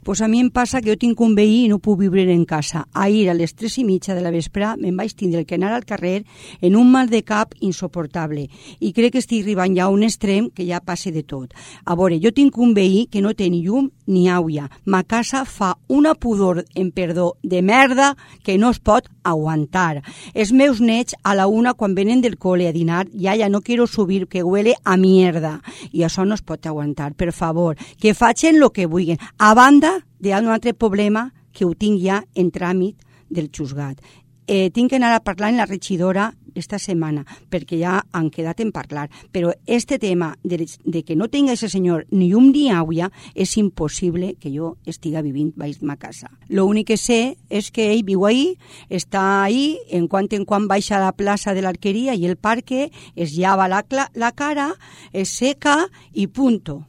Pues a mi em passa que jo tinc un veí i no puc viure en casa. Ahir a les 3:30 de la vespre me'n vaig tindre que anar al carrer en un mal de cap insoportable i crec que estic arribant ja a un extrem que ja passa de tot. A veure, jo tinc un veí que no té ni llum ni aigua. Ma casa fa una pudor, en perdó, de merda que no es pot aguantar. Els meus nets a la una quan venen del cole a dinar, ja no quiero subir, que huele a mierda. I això no es pot aguantar. Per favor, que facin lo que vulguin. A banda d'un altre problema que ho tinc ja en tràmit del juzgat. Tinc que anar a parlar amb la regidora esta setmana, perquè ja han quedat en parlar, però este tema de que no tinga ese senyor ni llum ni aigua és impossible que jo estiga vivint baix ma casa. Lo únic que sé és que ell viu ahí, està ahí, en quan baixa a la plaça de l'Arqueria i el parque, es llava la cara, es seca i punto.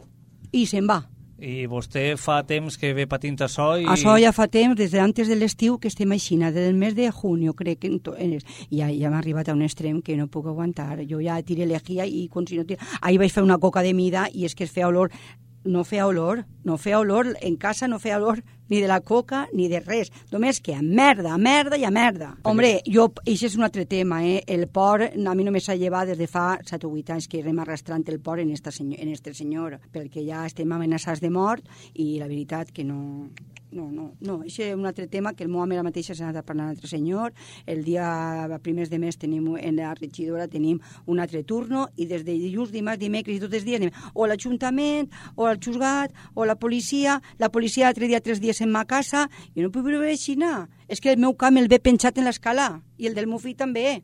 I se'n va. I vostè fa temps que ve patint això? Això ja fa temps, des d'antes de l'estiu, que estem així, des del mes de junio, crec que ja m'ha arribat a un extrem que no puc aguantar. Jo ja tiré lejía i ahir vaig fer una coca de mida i és que es feia olor. No feia olor, en casa no feia olor ni de la coca ni de res, només que a merda i a merda. Hombre, això és un altre tema, el por a mi no me s'ha llevat des de fa 7 o 8 anys que anem arrastrant el por en este senyor, perquè ja estem amenaçats de mort i la veritat que no, això és un altre tema que el meu home la mateixa s'ha anat a parlar amb l'altre senyor. El dia primers de mes en la regidora tenim un altre turno i des de dilluns, dimarts, dimecres i tots els dies anem o a l'Ajuntament o al juzgat o a la policia l'altre dia 3 dies en ma casa i no puc viure així. És que el meu camp el ve penjat en l'escala i el del meu fill també.